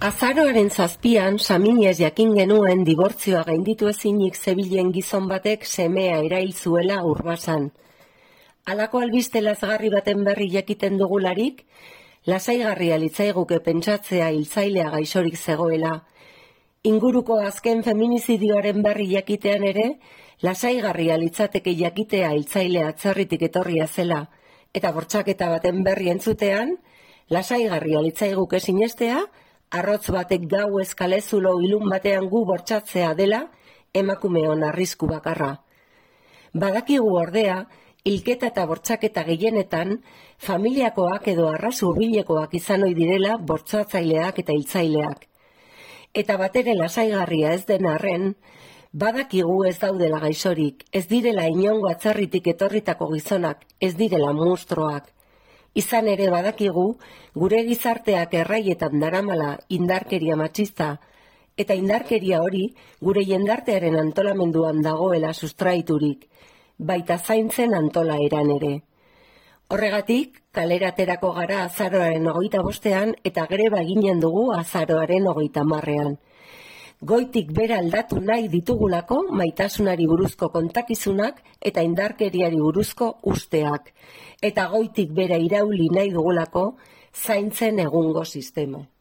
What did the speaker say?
Azaroaren 7an, Saminez jakin genuen dibortzioa gainditu ezinik zebilen gizon batek semea erail zuela Urbasan. Halako albiste lazgarri baten berri jakiten dugularik, lasaigarria litzaiguke pentsatzea hiltzailea gaixorik zegoela. Inguruko azken feminizidioaren berri jakitean ere, lasaigarria litzateke jakitea hiltzailea atzerritik etorria zela, eta bortxaketa baten berri entzutean, lasaigarria litzaiguke sinestea, arrotz batek gau eskalezulo ilun batean gu bortxatzea dela emakumeon arrisku bakarra. Badakigu ordea, hilketa eta bortxaketa gehienetan, familiakoak edo arras hurbilekoak izan ohi direla bortxatzaileak eta hiltzaileak. Eta batere lasaigarria ez den arren, badakigu ez daudela gaixorik, ez direla inongo atzerritik etorritako gizonak, ez direla munstroak. Izan ere badakigu, gure gizarteak erraietan daramala indarkeria matxista, eta indarkeria hori gure jendartearen antolamenduan dagoela sustraiturik, baita zaintzen antolaeran ere. Horregatik, kalera aterako gara azaroaren 25ean eta greba eginen dugu azaroaren 30ean. Goitik bera aldatu nahi ditugulako maitasunari buruzko kontakizunak eta indarkeriari buruzko usteak, eta goitik bera irauli nahi dugulako zaintzen egungo sistema.